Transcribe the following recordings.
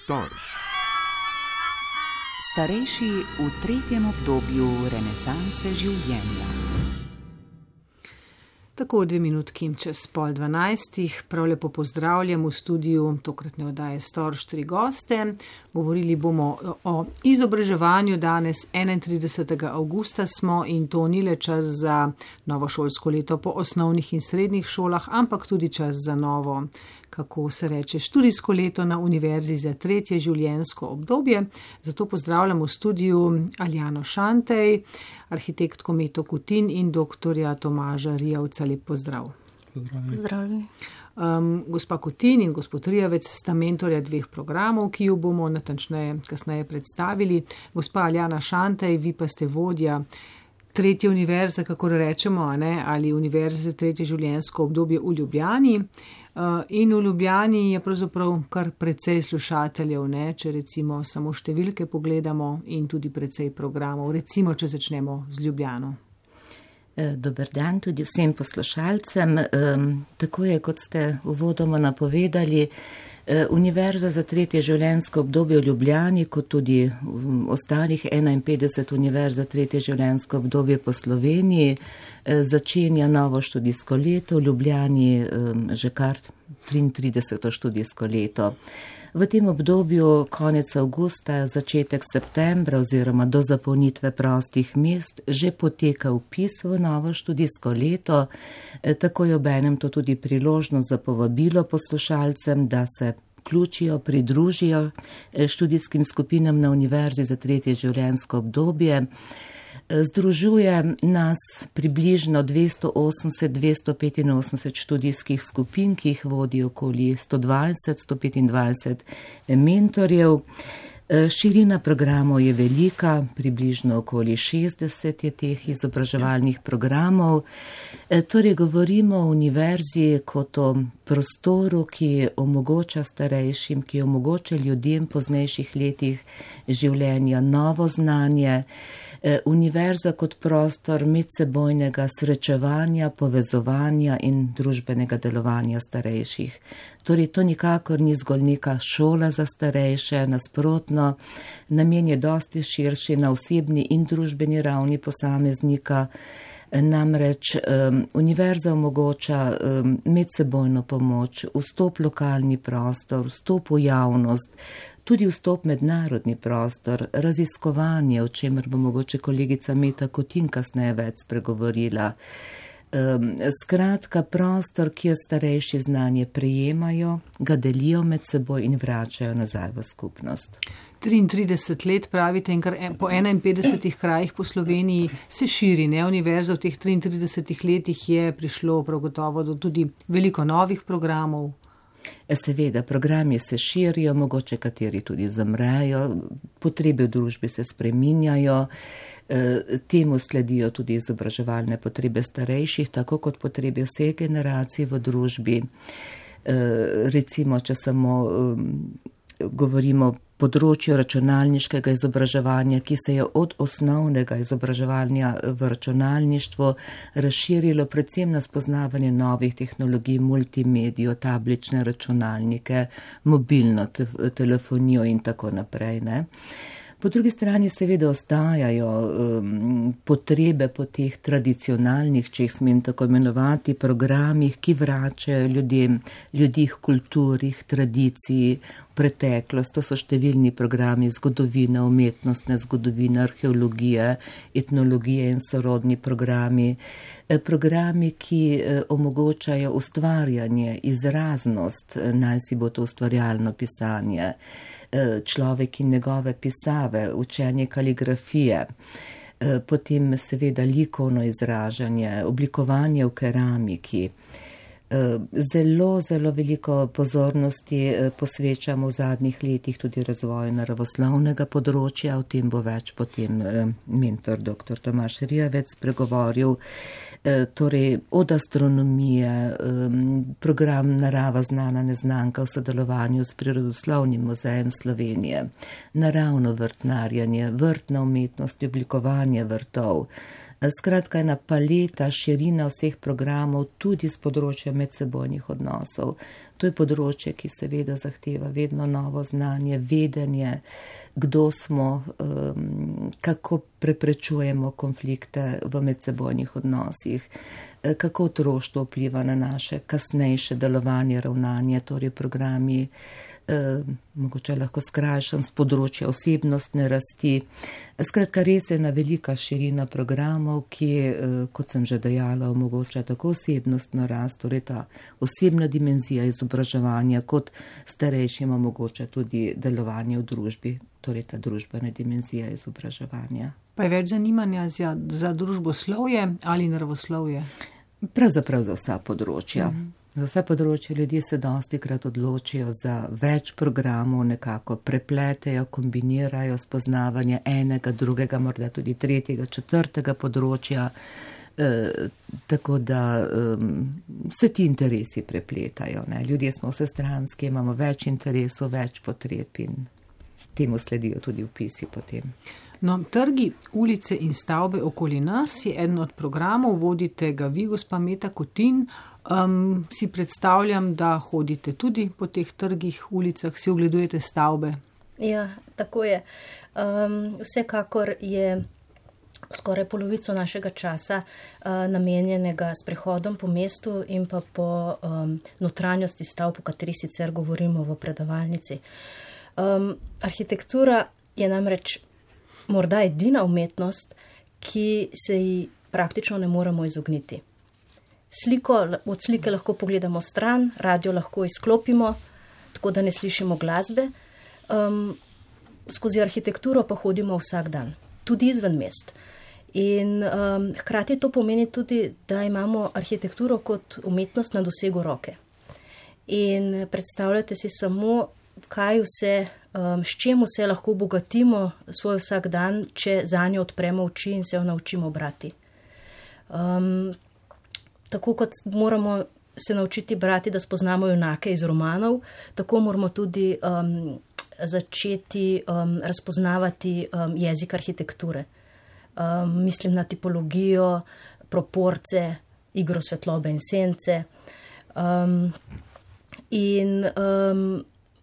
Storž. Starejši v tretjem obdobju renesanse življenja. Tako 2 minutki čez 11:30, prav lepo pozdravljam v studiu tokratne oddaje Storž 3 goste. Govorili bomo o izobraževanju danes, 31. avgusta smo in to ni le čas za novo šolsko leto po osnovnih in srednjih šolah, ampak tudi čas za novo, kako se reče, študijsko leto na univerzi za tretje življenjsko obdobje. Zato pozdravljam v studiu Aljano Šantej, arhitektko Meto Kutin in doktorja Tomaža Rijavca. Lep pozdrav. Pozdravljeni. Gospa Kutin in gospod Rijavec sta mentorja 2 programov, ki jo bomo natančneje kasneje predstavili. Gospa Aljana Šantej, vi pa ste vodja tretje univerze, kako rečemo, ali univerze za tretje življenjsko obdobje v Ljubljani. In v Ljubljani je pravzaprav kar precej slušateljev, če recimo samo številke pogledamo, in tudi precej programov. Recimo, če začnemo z Ljubljano. Dober dan tudi vsem poslušalcem. Tako je, kot ste uvodoma napovedali, Univerza za tretje življenjsko obdobje v Ljubljani, kot tudi ostalih 51 univerz za tretje življenjsko obdobje po Sloveniji, začenja novo študijsko leto, v Ljubljani že kar 33. študijsko leto. V tem obdobju konec avgusta, začetek septembra oziroma do zapolnitve prostih mest že poteka vpis v novo študijsko leto, tako je obenem to tudi priložnost za povabilo poslušalcem, da se vključijo, pridružijo študijskim skupinam na Univerzi za tretje življenjsko obdobje. Združuje nas približno 280-285 študijskih skupin, ki jih vodi okoli 120-125 mentorjev. Širina programov je velika, približno okoli 60 je teh izobraževalnih programov. Torej govorimo o univerzi kot o prostoru, ki omogoča starejšim, ki omogoča ljudem po poznejših letih življenja novo znanje. Univerza kot prostor medsebojnega srečevanja, povezovanja in družbenega delovanja starejših. Torej, to nikakor ni zgolj neka šola za starejše, nasprotno, namen je dosti širši na osebni in družbeni ravni posameznika. Namreč univerza omogoča medsebojno pomoč, vstop v lokalni prostor, vstop v javnost, tudi vstop mednarodni prostor, raziskovanje, o čemer bo mogoče kolegica Meta Kutin kasneje več spregovorila. Skratka, prostor, kjer starejši znanje prejemajo, ga delijo med seboj in vračajo nazaj v skupnost. 33 let pravite in kar po 51 krajih po Sloveniji se širi, Univerza v teh 33 letih je prišlo prav gotovo do tudi veliko novih programov. Seveda, programi se širijo, mogoče kateri tudi zamrejo, potrebe v družbi se spreminjajo, temu sledijo tudi izobraževalne potrebe starejših, tako kot potrebe vseh generacij v družbi. Recimo, če samo govorimo o področju računalniškega izobraževanja, ki se je od osnovnega izobraževanja v računalništvu razširilo predvsem na spoznavanje novih tehnologij, multimedijo, tablične računalnike, mobilno telefonijo in tako naprej. Po drugi strani seveda ostajajo potrebe po teh tradicionalnih, če jih smem tako imenovati, programih, ki vračajo ljudi k kulturi, tradiciji, preteklost. To so številni programi zgodovine, umetnostne zgodovine, arheologije, etnologije in sorodni programi. Programi, ki omogočajo ustvarjanje, izraznost, naj si bo to ustvarjalno pisanje, človek in njegove pisave, učenje kaligrafije, potem seveda likovno izražanje, oblikovanje v keramiki. Zelo, zelo veliko pozornosti posvečamo v zadnjih letih tudi razvoju naravoslovnega področja, o tem bo več potem mentor dr. Tomaž Rijavec spregovoril. Torej od astronomije, program Narava znana neznanka v sodelovanju s Prirodoslovnim muzejem Slovenije, naravno vrtnarjenje, vrtna umetnost, oblikovanje vrtov, Skratka, ena paleta, širina vseh programov, tudi z področja medsebojnih odnosov. To je področje, ki seveda zahteva vedno novo znanje, vedenje, kdo smo, kako preprečujemo konflikte v medsebojnih odnosih, kako otroštvo vpliva na naše kasnejše delovanje, ravnanje, torej programi, mogoče lahko skrajšam, z področja osebnostne rasti. Skratka, res je ena velika širina programov, ki, kot sem že dejala, omogoča tako osebnostno rast, torej ta osebna dimenzija izobraževanja, kot starejšim omogoča tudi delovanje v družbi, torej ta družbena dimenzija izobraževanja. Pa je več zanimanja za družboslovje ali naravoslovje? Pravzaprav za vsa področja. Za vse področje ljudje se dostikrat odločijo za več programov, nekako prepletejo, kombinirajo spoznavanje enega, drugega, morda tudi tretjega, četrtega področja, tako da se ti interesi prepletajo. Ne? Ljudje smo vsestranski, imamo več interesov, več potreb in temu sledijo tudi vpisi potem. No, trgi, ulice in stavbe okoli nas je eden od programov, vodite ga vi, gospa Meta Kotin. Si predstavljam, da hodite tudi po teh trgih, ulicah, si ogledujete stavbe. Ja, tako je. Vsekakor je skoraj polovico našega časa namenjenega sprehodom po mestu in pa po notranjosti stavb, o kateri sicer govorimo v predavalnici. Arhitektura je namreč morda edina umetnost, ki se ji praktično ne moremo izogniti. Od slike lahko pogledamo stran, radio lahko izklopimo, tako da ne slišimo glasbe. Skozi arhitekturo pa hodimo vsak dan, tudi izven mest. In hkrati to pomeni tudi, da imamo arhitekturo kot umetnost na dosegu roke. In predstavljate si samo, kaj vse, s čem vse lahko obogatimo svoj vsak dan, če zanjo odpremo oči in se jo naučimo brati. Tako kot moramo se naučiti brati, da spoznamo junake iz romanov, tako moramo tudi začeti razpoznavati jezik arhitekture. Mislim na tipologijo, proporce, igro svetlobe in sence.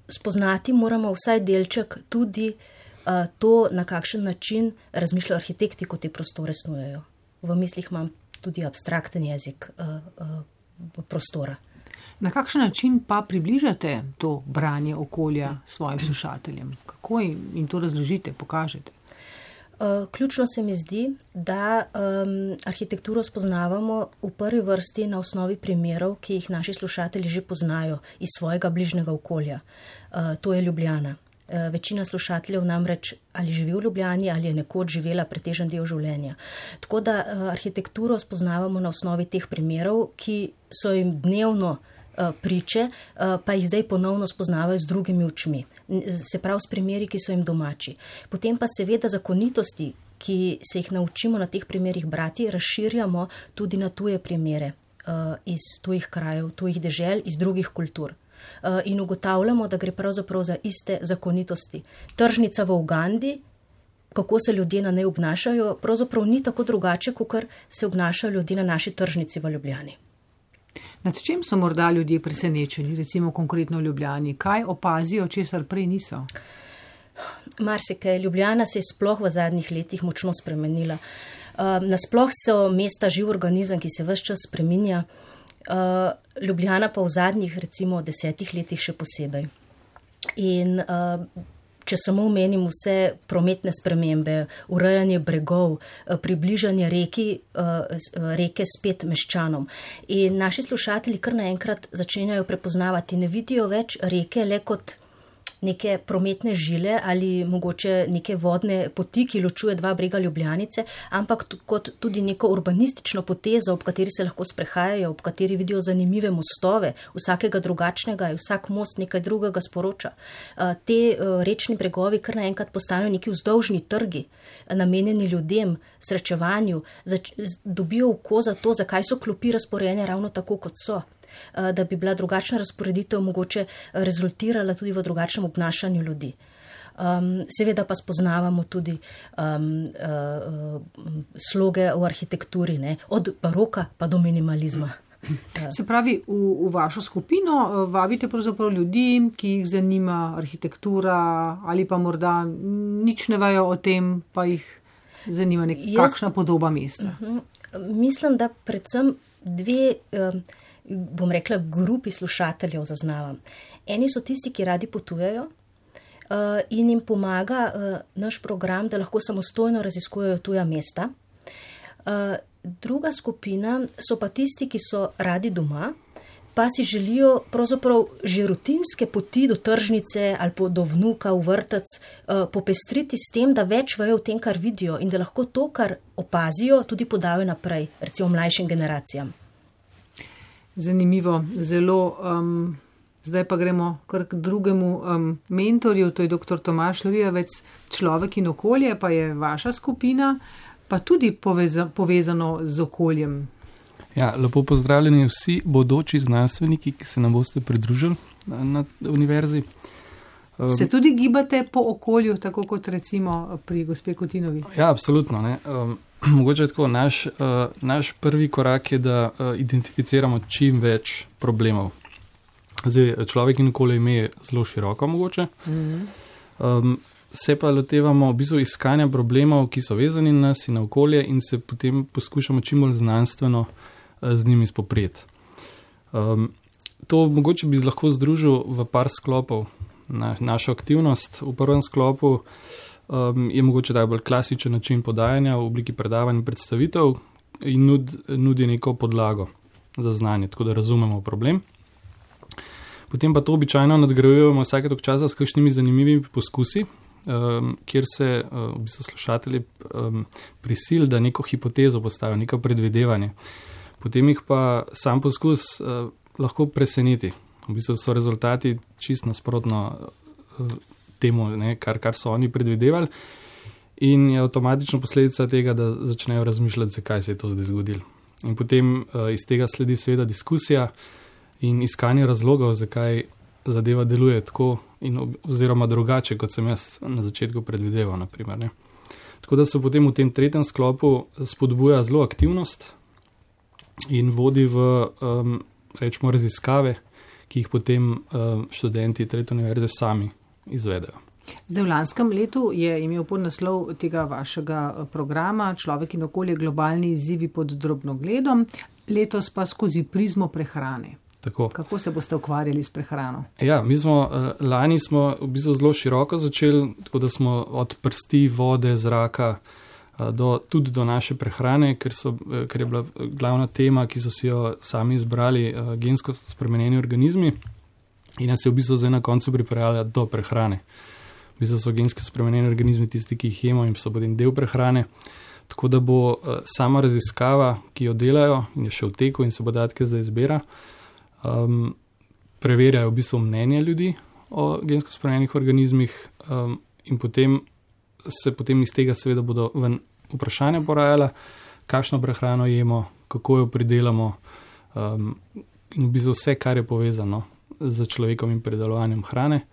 Spoznati moramo vsaj delček tudi to, na kakšen način razmišljajo arhitekti, ko te prostore snujejo. V mislih imam tudi abstrakten jezik prostora. Na kakšen način pa približate to branje okolja svojim slušateljem? Kako jim to razložite, pokažete? Ključno se mi zdi, da arhitekturo spoznavamo v prvi vrsti na osnovi primerov, ki jih naši slušatelji že poznajo iz svojega bližnjega okolja. To je Ljubljana. Večina slušateljev namreč ali živi v Ljubljani ali je nekoč živela pretežen del življenja. Tako da arhitekturo spoznavamo na osnovi teh primerov, ki so jim dnevno priče, pa jih zdaj ponovno spoznavajo z drugimi očmi. Se pravi s primeri, ki so jim domači. Potem pa seveda zakonitosti, ki se jih naučimo na teh primerih brati, razširjamo tudi na tuje primere iz tujih krajev, tujih dežel, iz drugih kultur. In ugotavljamo, da gre pravzaprav za iste zakonitosti. Tržnica v Ugandi, kako se ljudje na njej obnašajo, pravzaprav ni tako drugače, kot se obnašajo ljudje na naši tržnici v Ljubljani. Nad čem so morda ljudje presenečeni, recimo konkretno v Ljubljani? Kaj opazijo, česar prej niso? Marsikaj. Ljubljana se je sploh v zadnjih letih močno spremenila. Nasploh so mesta živ organizem, ki se ves čas spreminja. Ljubljana pa v zadnjih recimo 10 letih še posebej. In če samo omenim vse prometne spremembe, urejanje bregov, približanje reke spet meščanom. In naši slušatelji kar naenkrat začenjajo prepoznavati, ne vidijo več reke le kot neke prometne žile ali mogoče neke vodne poti, ki ločuje dva brega Ljubljanice, ampak kot tudi neko urbanistično potezo, ob kateri se lahko sprehajajo, ob kateri vidijo zanimive mostove, vsakega drugačnega, vsak most nekaj drugega sporoča. Te rečni bregovi kar naenkrat postanejo neki vzdolžni trgi, namenjeni ljudem, srečevanju, dobijo oko za to, zakaj so klopi razporejene ravno tako, kot so. Da bi bila drugačna razporeditev mogoče rezultirala tudi v drugačnem obnašanju ljudi. Seveda pa spoznavamo tudi sloge v arhitekturi, ne? Od baroka pa do minimalizma. Se pravi, v vašo skupino vabite pravzaprav ljudi, ki jih zanima arhitektura ali pa morda nič ne vejo o tem, pa jih zanima kakšna podoba mesta. Mislim, da predvsem dve, bom rekla, grupi slušateljev zaznavam. Eni so tisti, ki radi potujejo in jim pomaga naš program, da lahko samostojno raziskujejo tuja mesta. Druga skupina so pa tisti, ki so radi doma, pa si želijo pravzaprav že rutinske poti do tržnice ali do vnuka v vrtec popestriti s tem, da več vejo o tem, kar vidijo in da lahko to, kar opazijo, tudi podajo naprej, recimo mlajšim generacijam. Zanimivo, zelo. Zdaj pa gremo kar k drugemu mentorju, to je dr. Tomaž Rijavec, Človek in okolje, pa je vaša skupina, pa tudi povezano z okoljem. Ja, lepo pozdravljeni vsi bodoči znanstveniki, ki se nam boste pridružili na univerzi. Se tudi gibate po okolju, tako kot recimo pri gospe Kotinovi? Ja, absolutno. Ne. Mogoče tako, naš prvi korak je, da identificiramo čim več problemov. Zdaj, Človek in okolje ime je zelo široko mogoče. Se pa lotevamo v bistvu iskanja problemov, ki so vezani na nas in na okolje in se potem poskušamo čim bolj znanstveno z njimi spoprijeti. To mogoče bi lahko združil v par sklopov našo aktivnost. V prvem sklopu je mogoče tak bolj klasičen način podajanja v obliki predavanj in predstavitev in nudi neko podlago za znanje, tako da razumemo problem. Potem pa to običajno nadgrajujemo vsake toliko časa s kakšnimi zanimivimi poskusi, kjer se v bistvu slušatelji prisil, da neko hipotezo postavijo, neko predvidevanje. Potem jih pa sam poskus lahko preseneti. V bistvu so rezultati čist nasprotno temu, ne, kar so oni predvidevali in je avtomatično posledica tega, da začnejo razmišljati, zakaj se je to zdaj zgodilo. In potem iz tega sledi seveda diskusija in iskanje razlogov, zakaj zadeva deluje tako oziroma drugače, kot sem jaz na začetku predvideval, naprimer, ne. Tako da se potem v tem tretjem sklopu spodbuja zelo aktivnost in vodi v, rečemo, raziskave, ki jih potem študenti tretje univerze sami izvedejo. Zdaj v lanskem letu je imel podnaslov tega vašega programa Človek in okolje, globalni izzivi pod drobnogledom, letos pa skozi prizmo prehrane. Tako. Kako se boste ukvarjali s prehrano? Ja, lani smo v bistvu zelo široko začeli, tako da smo od prsti, vode, zraka tudi do naše prehrane, ker je bila glavna tema, ki so si jo sami izbrali, gensko spremenjeni organizmi in nas je v bistvu zdaj na koncu pripravljala do prehrane. V bistvu so gensko spremenjeni organizmi tisti, ki jih jemo in so potem del prehrane. Tako da bo sama raziskava, ki jo delajo in je še v teku in se podatke zdaj zbira, preverjajo v bistvu mnenje ljudi o gensko spremenjenih organizmih in potem iz tega seveda bodo vprašanja porajala, kakšno prehrano jemo, kako jo pridelamo in v bistvu vse, kar je povezano z človekovim pridelovanjem hrane.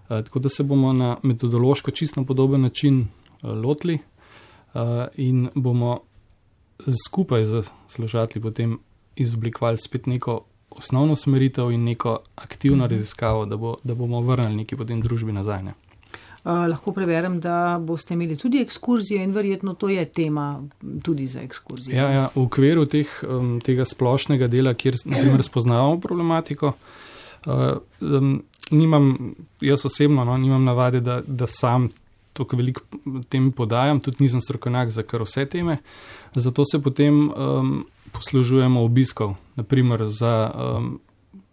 Tako da se bomo na metodološko čisto podoben način lotili in bomo skupaj z slušatelji potem izoblikovali spet neko osnovno smeritev in neko aktivno raziskavo, da bomo vrnili neki potem družbi nazaj. Ne? Lahko preverjam, da boste imeli tudi ekskurzijo in verjetno to je tema tudi za ekskurzijo. Ja, v okviru tega splošnega dela, kjer naprimer spoznavamo problematiko, jaz osebno nimam navade, da sam toliko veliko tem podajam, tudi nisem strokovnjak za kar vse teme, zato se potem poslužujemo obiskov. Naprimer za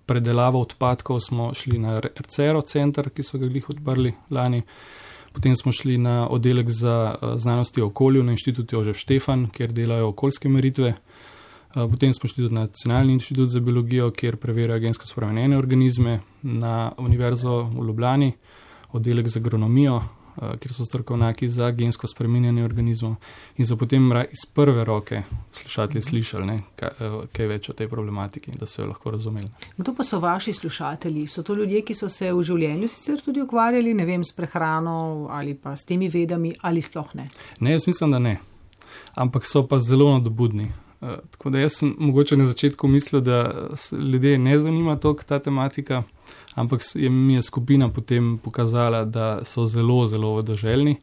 predelavo odpadkov smo šli na RCERO center, ki so ga glih odprli lani, potem smo šli na oddelek za znanosti o okolju na Inštitut Jožef Štefan, kjer delajo okoljske meritve, potem smo šli tudi na Nacionalni inštitut za biologijo, kjer preverjajo gensko spremenjene organizme, na Univerzo v Ljubljani, oddelek za agronomijo, kjer so strokovnjaki za gensko spreminjanje organizmov in so potem iz prve roke slušatelji slišali kaj več o tej problematiki, da so jo lahko razumeli. To pa so vaši slušatelji, so to ljudje, ki so se v življenju sicer tudi ukvarjali, ne vem, s prehrano ali pa s temi vedami ali sploh ne? Ne, jaz mislim, da ne, ampak so pa zelo nadobudni. Tako da jaz sem mogoče na začetku mislil, da ljudje ne zanima toliko ta tematika, ampak mi je skupina potem pokazala, da so zelo, zelo vodoželjni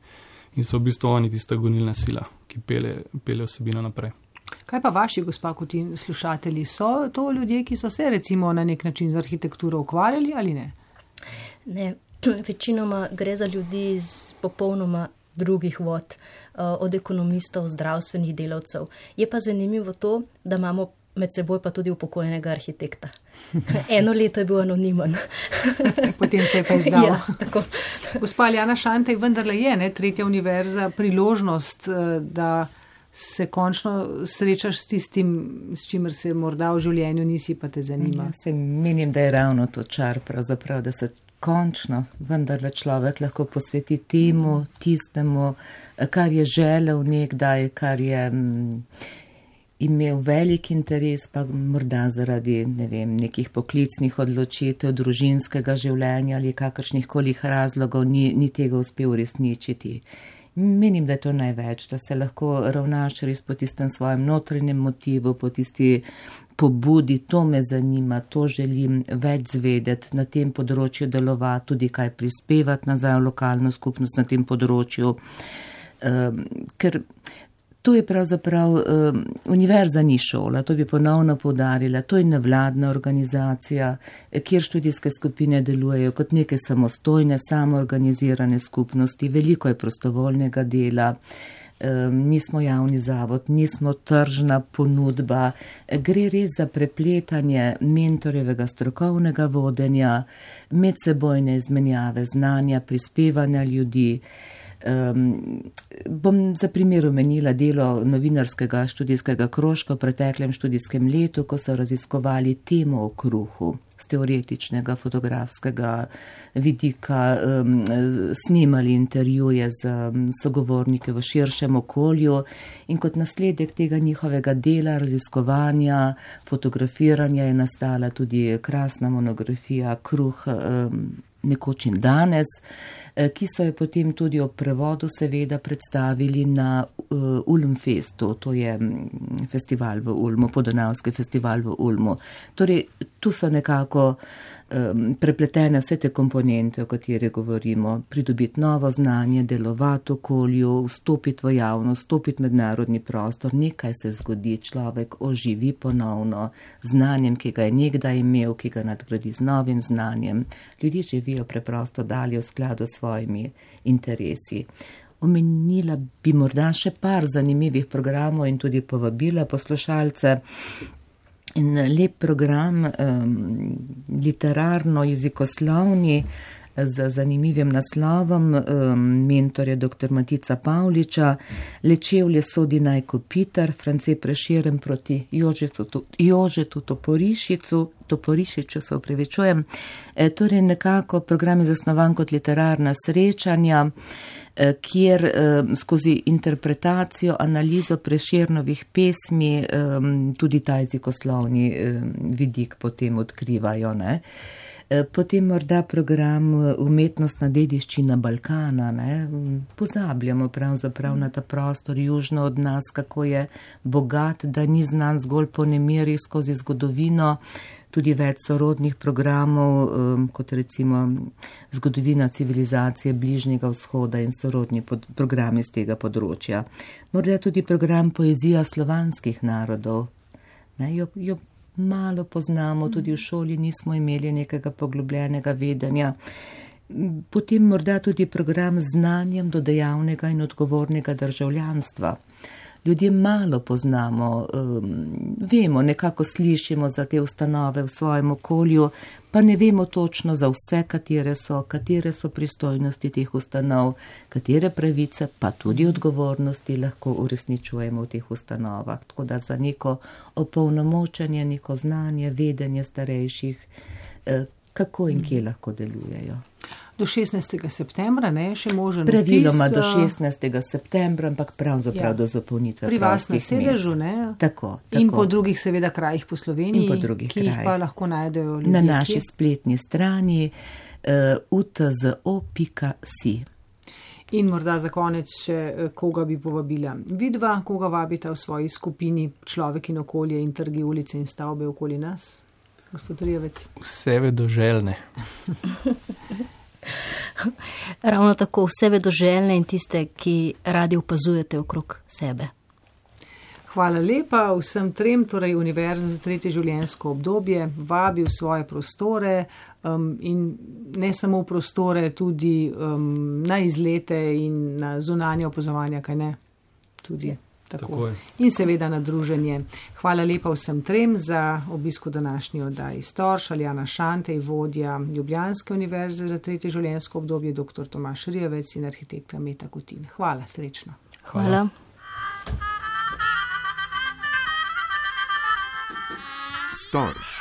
in so v bistvu oni tista gonilna sila, ki pelje vsebino naprej. Kaj pa vaši, gospa Kutin, slušatelji? So to ljudje, ki so se recimo na nek način z arhitekturo ukvarjali ali ne? Ne, večinoma gre za ljudi iz popolnoma drugih vod, od ekonomistov, zdravstvenih delavcev. Je pa zanimivo to, da imamo med seboj pa tudi upokojenega arhitekta. 1 leto je bil anonimen. Potem se je pa izdal. Ja, tako. Gospa Aljana Šantej, vendarle je, tretja univerza, priložnost, da se končno srečaš s tistim, s čimer se morda v življenju nisi, pa te zanima. Ja, se menim, da je ravno to čar pravzaprav, da se končno vendarle človek lahko posveti temu, tistemu, kar je želel nekdaj, kar je imel velik interes, pa morda zaradi, ne vem, nekih poklicnih odločitev, družinskega življenja ali kakršnih kolih razlogov ni tega uspel uresničiti. Menim, da je to največ, da se lahko ravnaš res po tistem svojem notranjem motivu, po tisti pobudi, to me zanima, to želim več zvedeti, na tem področju delovati, tudi kaj prispevati nazaj v lokalno skupnost na tem področju, ker to je pravzaprav univerza ni šola, to bi ponovno poudarila, to je nevladna organizacija, kjer študijske skupine delujejo kot neke samostojne, samoorganizirane skupnosti, veliko je prostovoljnega dela, nismo javni zavod, nismo tržna ponudba, gre res za prepletanje mentorjevega strokovnega vodenja, medsebojne izmenjave znanja, prispevanja ljudi. Bom za primer omenila delo novinarskega študijskega krožka v preteklem študijskem letu, ko so raziskovali temo o kruhu z teoretičnega fotografskega vidika, snimali intervjuje z sogovorniki v širšem okolju in kot nasledek tega njihovega dela, raziskovanja, fotografiranja je nastala tudi krasna monografija Kruh nekoč in danes, ki so jo potem tudi ob prevodu seveda predstavili na Ulmfestu, to je festival v Ulmu, Podonavski festival v Ulmu. Torej, tu so nekako prepletene vse te komponente, o kateri govorimo, pridobiti novo znanje, delovati v okolju, vstopiti v javnost, vstopiti v mednarodni prostor, nekaj se zgodi, človek oživi ponovno znanjem, ki ga je nekdaj imel, ki ga nadgradi z novim znanjem. Ljudje živijo preprosto dalje v skladu s svojimi interesi. Omenila bi morda še par zanimivih programov in tudi povabila poslušalce. In lep program, literarno-jezikoslovni, z zanimivim naslovom, mentor je dr. Matica Pavliča, Lečevlje sodi naj kopitar, France Prešeren proti Jožetu Toporišiču, se opravičujem. Torej nekako program je zasnovan kot literarna srečanja, kjer skozi interpretacijo, analizo Prešernovih pesmi tudi ta jezikoslovni vidik potem odkrivajo, ne. Potem morda program Umetnostna dediščina Balkana, ne. Pozabljamo pravzaprav na ta prostor južno od nas, kako je bogat, da ni znan zgolj po nemiri skozi zgodovino, tudi več sorodnih programov, kot recimo zgodovina civilizacije Bližnjega vzhoda in sorodni programi z tega področja. Morda tudi program Poezija slovanskih narodov, ne, jo malo poznamo, tudi v šoli nismo imeli nekega poglobljenega vedenja. Potem morda tudi program Znanjem do dejavnega in odgovornega državljanstva. Ljudje malo poznamo, vemo, nekako slišimo za te ustanove v svojem okolju, pa ne vemo točno za vse, katere so pristojnosti teh ustanov, katere pravice, pa tudi odgovornosti lahko uresničujemo v teh ustanovah. Tako da za neko opolnomočenje, neko znanje, vedenje starejših, kako in kje lahko delujejo. Do 16. septembra, ne, še možen praviloma vpis, do 16. septembra, ampak pravzaprav do zapolnitve pri vas na prostih sedežu, mest. ne? Tako. In po drugih seveda krajih po Sloveniji, In po drugih ki jih krajih. pa lahko najdejo ljudje. Na naši spletni strani utzO.si. In morda za konec še, koga bi povabila. Vidva, koga vabita v svoji skupini Človek in okolje in trgi, ulice in stavbe okoli nas? Gospod Rijavec. Vse vedoželjne. Ravno tako, vse vedoželjne in tiste, ki radi opazujete okrog sebe. Hvala lepa vsem trem, torej Univerza za tretje življenjsko obdobje vabi v svoje prostore in ne samo v prostore, tudi na izlete in na zunanje opazovanja, kaj ne? Tudi. Tako. In seveda na druženje. Hvala lepa vsem trem za obisk v današnji oddaji Storž, Aljana Šantej, vodja Ljubljanske univerze za tretje življenjsko obdobje, dr. Tomaž Rijavec in arhitektka Meta Kutin. Hvala, srečno. Hvala. Storž.